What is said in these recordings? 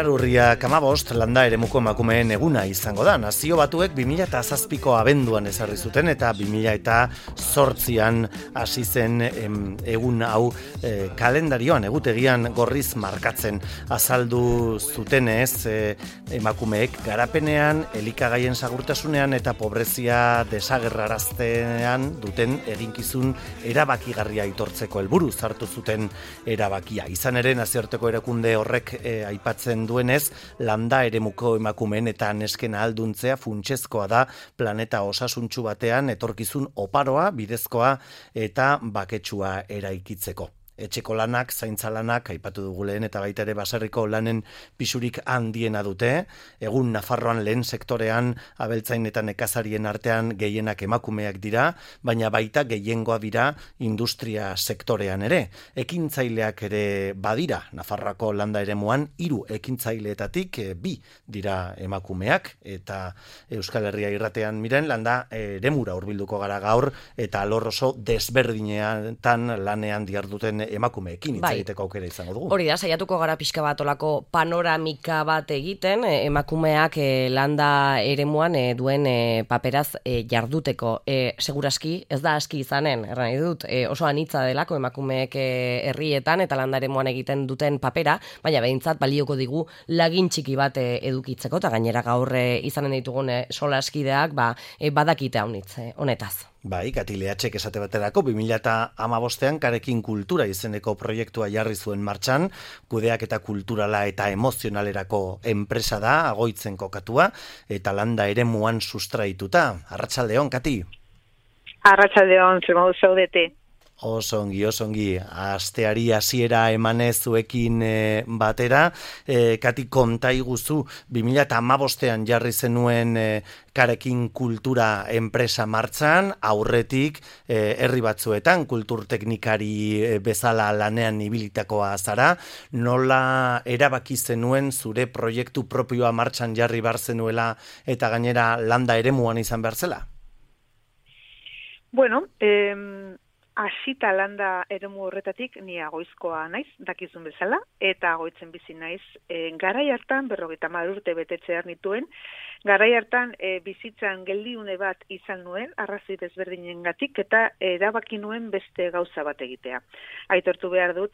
Urriak 15 landa eremuko emakumeen eguna izango da. Nazio Batuek 2007ko abenduan ezarri zuten eta 2008an hasi zen egun hau kalendarioan, egutegian gorriz markatzen. Azaldu zutenez emakumeek garapenean, elikagaien segurtasunean eta pobrezia desagerraraztean duten eginkizun erabakigarria aitortzeko helburu hartu zuten erabakia. Izan ere, nazioarteko erakunde horrek aipatzen duenez, landa eremuko emakumeen eta nesken ahalduntzea funtsezkoa da planeta osasuntsu batean etorkizun oparoa, bidezkoa eta baketsua eraikitzeko. Etxeko lanak, zaintza lanak, aipatu dugu lehen eta baita ere baserriko lanen pisurik handiena dute. Egun Nafarroan lehen sektorean abeltzain eta nekazarien artean gehienak emakumeak dira, baina baita gehiengoa dira industria sektorean ere. Ekintzaileak ere badira, Nafarroako landa eremuan 3 ekintzaileetatik 2 dira emakumeak, eta Euskal Herria irratean miren landa eremura hurbilduko gara gaur, eta alor oso desberdinetan lanean diharduten emakumeekin hitz egiteko aukera izango dugu. Hori da, saiatuko gara pixka bat olako panoramika bat egiten, emakumeak landa eremuan duen paperaz jarduteko. Segurazki, ez da aski izanen, erran dut, oso anitza delako emakumeek herrietan eta landa eremuan egiten duten papera, baina behintzat balioko digu lagin txiki bat edukitzeko, eta gainera gaur izanen ditugun solaskideak badakite honetaz. Bai, Kati Lehatxek esate baterako 2015an Karekin Kultura izeneko proiektua jarri zuen martxan, kudeaketa kulturala eta emozionalerako enpresa da, Agoitzen kokatua, eta landa eremuan sustraituta. Arratsaldeon, Kati. Arratsaldeon, zer modu zaudete? Oso ongi, asteari hasiera emanez zuekin batera. Kati, konta iguzu, 2015an jarri zenuen Karekin Kultura enpresa martxan, aurretik herri batzuetan kulturteknikari bezala lanean ibilitakoa zara, nola erabaki zenuen zure proiektu propioa martxan jarri bar zenuela eta gainera landa eremuan izan behar zela? Bueno, hasita landa eremu horretatik ni Agoizkoa naiz, dakizun bezala, eta Agoitzen bizi naiz. Garai hartan 50 urte betetzear nituen, garai hartan bizitzan geldiune bat izan nuen, arrazoi desberdinengatik, eta erabaki nuen beste gauza bat egitea. Aitortu behar dut,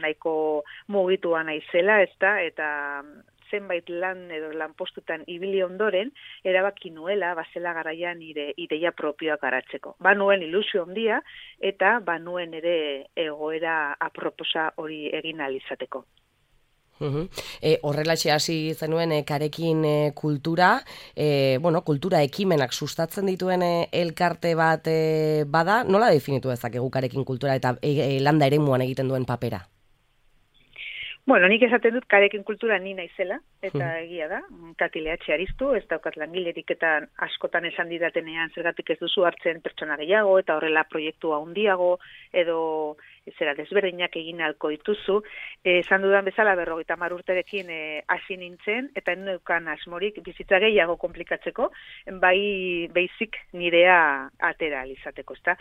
nahiko mugitua naizela, eta zenbait lan edo lanpostutan ibili ondoren, erabaki nuela, bazela garaian nire ideia propioak garatzeko. Nuen ilusio handia, eta nuen ere egoera aproposa hori egin ahal izateko. Horrelaxe hasi zenuen Karekin Kultura, kultura ekimenak sustatzen dituen elkarte bat bada, nola definitu dezakegu Karekin Kultura eta landa eremuan egiten duen papera? Bueno, nik esaten dut Karekin Kultura ni naizela, eta egia da, Kati Lehatxe Aristu, ez daukat langilerik eta askotan esan didatenean zergatik ez duzu hartzen pertsona gehiago, eta horrela proiektua handiago, edo desberdinak egin ahalko dituzu. Esan dudan bezala 50 urterekin hasi nintzen, eta neukan asmorik bizitza gehiago komplikatzeko, bai beizik nirea atera alizateko, ezta?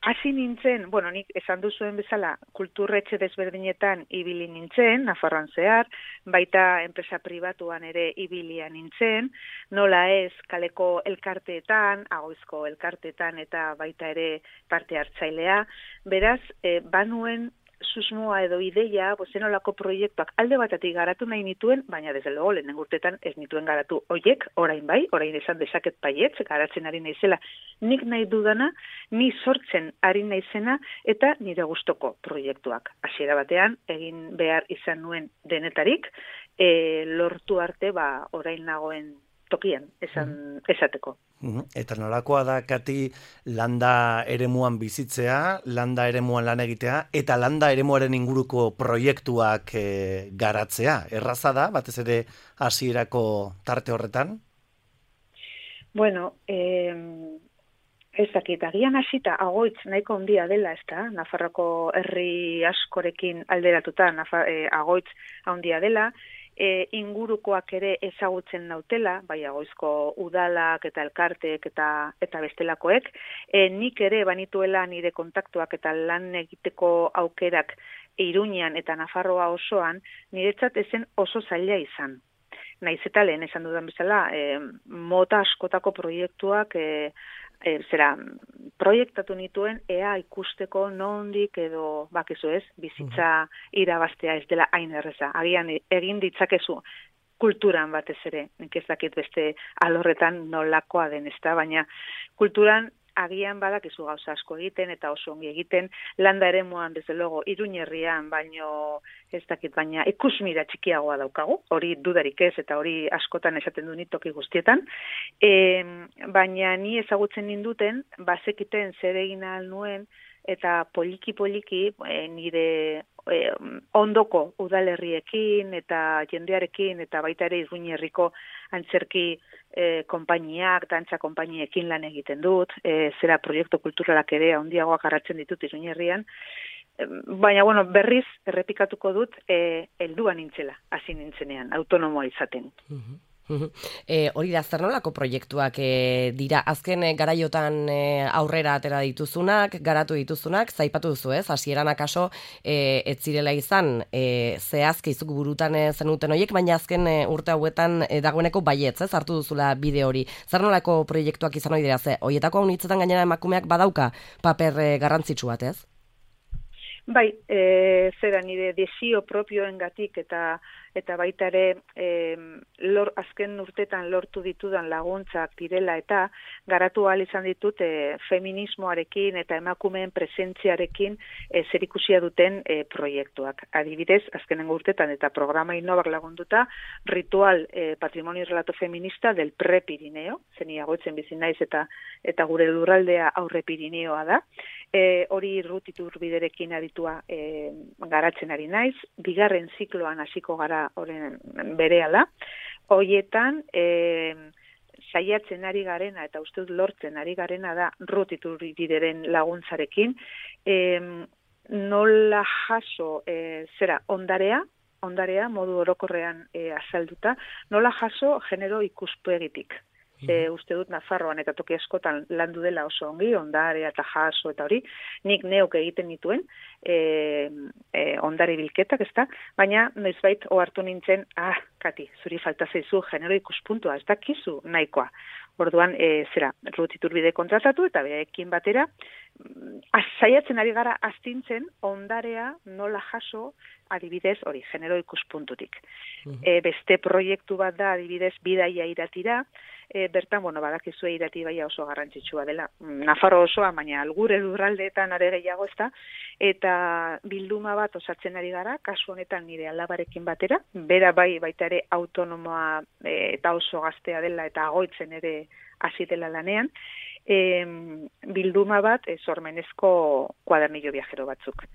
Hasi nintzen, nik esan duzuen bezala, kulturretxe desberdinetan ibili nintzen, Nafarroan zehar, baita enpresa pribatuan ere ibilia nintzen, nola ez kaleko elkarteetan, Agoizko elkarteetan eta baita ere parte hartzailea. Beraz, banuen susmoa edo ideia, zenolako proiektuak alde batatik garatu nahi nituen, baina desde luego lehen urtetan ez nituen garatu oiek, orain bai, orain esan dezaket baietz, garatzen ari naizela, nik nahi dudana, ni sortzen ari naizena eta nire gustoko proiektuak. Hasiera batean, egin behar izan nuen denetarik, lortu arte orain nagoen tokian, esateko. Eta nolakoa da, Kati, landa eremuan bizitzea, landa eremuan lan egitea, eta landa eremuaren inguruko proiektuak garatzea. Erraza da, batez ere hasierako tarte horretan? Bueno, ez dakit, agian hasita agoitz nahiko handia dela, ezta? Nafarroko herri askorekin alderatuta, agoitz handia dela, ingurukoak ere ezagutzen nautela, bai agoizko udalak eta elkarteek eta bestelakoek, nik ere banituela nire kontaktuak eta lan egiteko aukerak Iruñean eta Nafarroa osoan, niretzat ezen oso zaila izan. Naiz eta lehen esan dudan bezala, mota askotako proiektuak proiektatu nituen ea ikusteko nondik edo bakizu ez, bizitza irabaztea ez dela hain erreza. Agian egin ditzakezu kulturan batez ere, nik ez dakit beste alorretan nolakoa den ezta, baina kulturan agian badakizu gauza asko egiten eta oso ongi egiten, landa eremuan desde logo Iruñerrian, baino ez dakit, baina ikusmira txikiagoa daukagu, hori dudarik ez eta hori askotan esaten du toki guztietan, baina ni ezagutzen ninduten, bazekiten zer egin ahal nuen, eta poliki-poliki nire ondoko udalerriekin eta jendearekin eta baita ere Iruñerriko antzerki konpainiak, dantza konpainiekin lan egiten dut, zera proiektu kulturalak ere handiagoak garatzen ditut Iruñerrian, baina bueno, berriz errepikatuko dut helduan nintzela, hasi nintzenean, autonomoa izaten. Hori da, zer nolako proiektuak dira, azken garaiotan aurrera atera dituzunak, garatu dituzunak, zaipatu duzu ez, hasieran akaso ez zirela izan zehazki zuk burutan zenuten horiek, baina azken urte hauetan dagoeneko baietz, ez, hartu duzula bide hori. Zer nolako proiektuak izan hori dira, horietako haunitzetan gainera emakumeak badauka paper garrantzitsu bat, ez? Bai, zera nire desio propioengatik eta baita ere azken urtetan lortu ditudan laguntzak direla eta garatu ahal izan ditut feminismoarekin eta emakumeen presentziarekin zerikusia duten proiektuak. Adibidez, azkenengo urtetan eta programa Innobak lagunduta, ritual patrimonio relato feminista del Pre-Pirineo, zeni agoitzen bizi naiz eta gure lurraldea aurre Pirineoa da. Hori Iturbide aditua garatzen ari naiz, bigarren zikloan hasiko gara horren berehala, hoietan saiatzen ari garena eta uste dut lortzen ari garena da Iturbideren laguntzarekin, nola jaso ondarea modu orokorrean azalduta, nola jaso genero ikuspegitik. Uste dut Nafarroan eta toki askotan landu dela oso ongi, ondarea eta jaso eta hori, nik neuk egiten dituen ondare bilketak, ezta? Baina noizbait ohartu nintzen, Kati, zuri falta zaizu genero ikuspuntua, ez dakizu nahikoa. Orduan, Iturbide kontratatu eta berekin batera, saiatzen ari gara astintzen ondarea nola jaso adibidez hori, genero ikuspuntutik. Beste proiektu bat da adibidez bidaia iratira, bertan, badakizue irati baia oso garrantzitsua dela. Nafarro osoa, baina gure lurraldeetan are gehiago ezta, eta bilduma bat osatzen ari gara, kasu honetan nire alabarekin batera, bera baita ere autonomoa eta oso gaztea dela eta agoitzen ere hasi dela lanean, bilduma bat sormenezko kuadernillo viajero batzuk.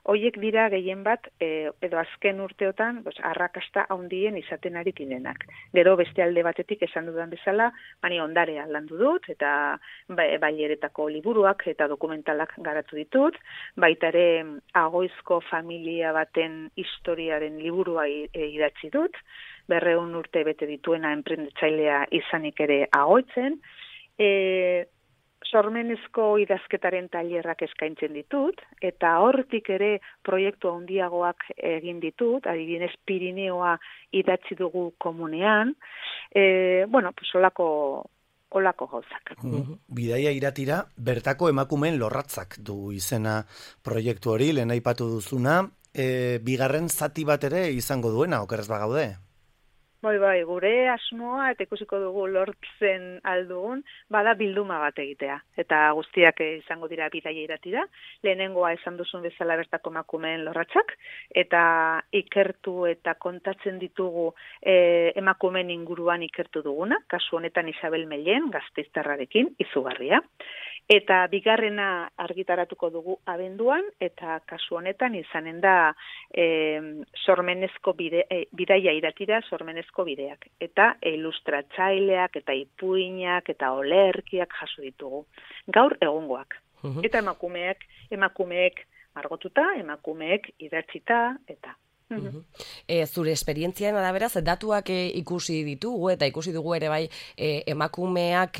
Hoiek dira gehien bat, edo azken urteotan, arrakasta handien izaten ari direnak. Gero beste alde batetik esan dudan bezala, bani ondarea landu dut, eta baileretako liburuak eta dokumentalak garatu ditut, baita ere agoizko familia baten historiaren liburua idatzi dut, 200 urte bete dituena enprendetzailea izanik ere agoitzen, sormenezko idazketaren tailerrak eskaintzen ditut, eta hortik ere proiektu handiagoak egin ditut, adibidez Pirineoa idatzi dugu komunean, olako gauzak. Bidaia iratira, bertako emakumeen lorratzak du izena proiektu hori, lehen aipatu duzuna, bigarren zati bat ere izango duena, okerrez bagaude? Bai, gure asmoa eta ikusiko dugu lortzen aldugun, bada bilduma bat egitea. Eta guztiak izango dira bidaia iratira. Lehenengoa esan duzun bezala bertako emakumeen lorratzak, eta ikertu eta kontatzen ditugu emakumeen inguruan ikertu duguna, kasu honetan Isabel Mellen, Gasteiztarrarekin, izugarria. Eta bigarrena argitaratuko dugu abenduan, eta kasu honetan izanen da sormenezko bidaia iratira, sormenezko bideak. Eta ilustratzaileak, eta ipuinak, eta olerkiak jaso ditugu. Gaur egungoak. Eta emakumeek margotuta, emakumeek idatzita, eta... Zure esperientzian arabera, datuak ikusi ditugu eta ikusi dugu ere bai emakumeek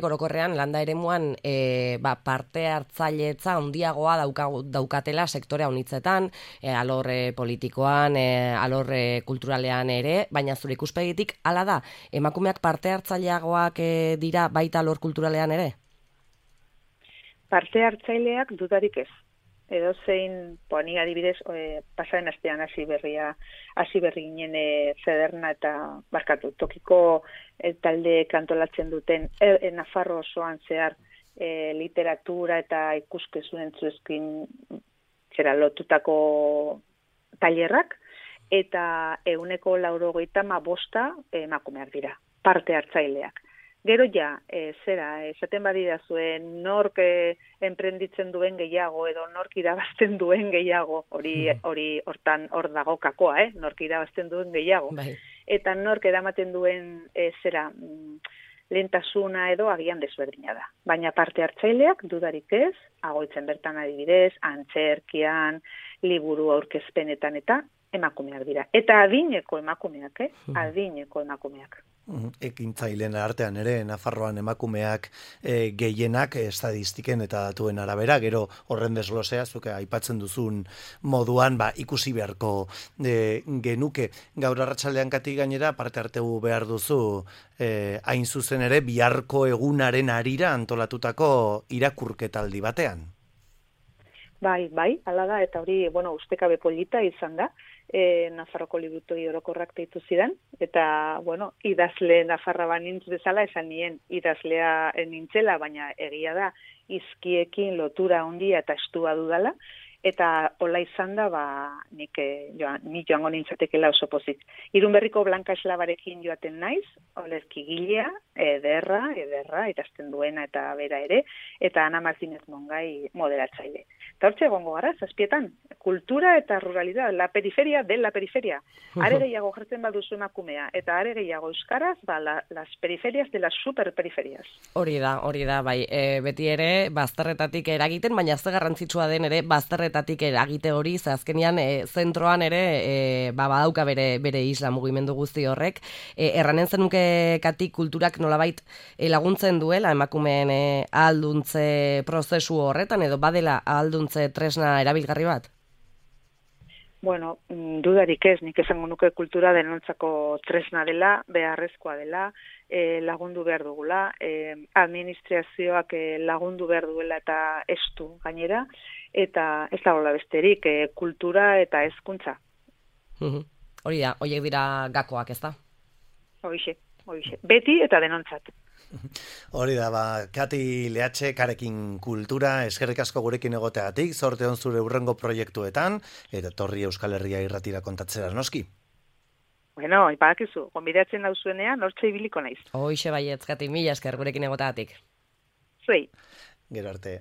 orokorrean landa eremuan parte hartzailetza handiagoa daukatela sektore honitzetan, alor politikoan, alor kulturalean ere, baina zure ikuspegitik hala da, emakumeak parte hartzaileagoak dira baita alor kulturalean ere? Parte hartzaileak dudarik ez. Edo zein, ni adibidez, pasaren astean hasi berri ginen Zederna eta barkatu, tokiko talde kantolatzen duten Nafarro osoan zehar literatura eta ikuskizun entzuezkin lotutako tailerrak, eta 95% emakumeak dira, parte hartzaileak. Gero esaten badira zuen nork enprenditzen duen gehiago edo nork irabazten duen gehiago, hor dago kakoa, nork irabazten duen gehiago. Bai. Eta nork eramaten duen lehentasuna edo agian desberdina da. Baina parte hartzaileak dudarik ez, agoitzen bertan adibidez, antzerkian, liburu aurkezpenetan eta emakumeak dira. Eta adineko emakumeak, adineko emakumeak. Ekintzaileen artean ere, Nafarroan emakumeak gehienak estadistiken eta datuen arabera, gero horren desglosea, zuke aipatzen duzun moduan, ikusi beharko genuke. Gaur arratsaldean Kati gainera, parte hartu behar duzu, hain zuzen ere, biharko egunaren harira antolatutako irakurketaldi batean. Bai, hala da, eta hori, ustekabe polita izan da, Nafarroko liburutegi orokorrak deitu zidan, eta, idazle Nafarra banintz bezala, esan nien idazlea nintzela, baina egia da, izkiekin lotura handia eta estua dudala, eta hola izan da, ni joango nintzatekela oso pozik. Irunberriko Blanka Eslabarekin joaten naiz, olerki gilea, ederra, idazten duena eta bera ere, eta Ana Martínez Mongai moderatzaile. Eta hortxe egongo gara, zazpietan, kultura eta ruralidad, la periferia de la periferia. Are gehiago jartzen baduzu emakumea, eta are gehiago euskaraz, las periferias de las superperiferias. Hori da, bai, beti ere, bazterretatik eragiten, baina ze garrantzitsua den ere, bazterretatik eragite hori, azkenean zentroan ere, badauka bere isla mugimendu guzti horrek. Erranen zenuke Kati kulturak nolabait laguntzen duela emakumeen ahalduntze prozesu horretan, edo badela ahalduntze tresna erabilgarri bat? Dudarik ez, nik esango nuke kultura denontzako tresna dela, beharrezkoa dela, lagundu behar dugula, administrazioak lagundu behar duela eta estu gainera, eta ez dagoela besterik, kultura eta hezkuntza. Hori da, horiek dira gakoak, ez da? Horixe, beti eta denontzat. Hori da, Kati Leatxe, Karekin Kultura, eskerrik asko gurekin egoteagatik, zorte on zure hurrengo proiektuetan, eta torri Euskal Herria irratira kontatzera noski. Ipadakizu, gonbidatzen dauzuenean, hortxe ibiliko naiz. Hoixe baietz, Kati, mila esker gurekin egoteagatik. Zuei. Gero arte.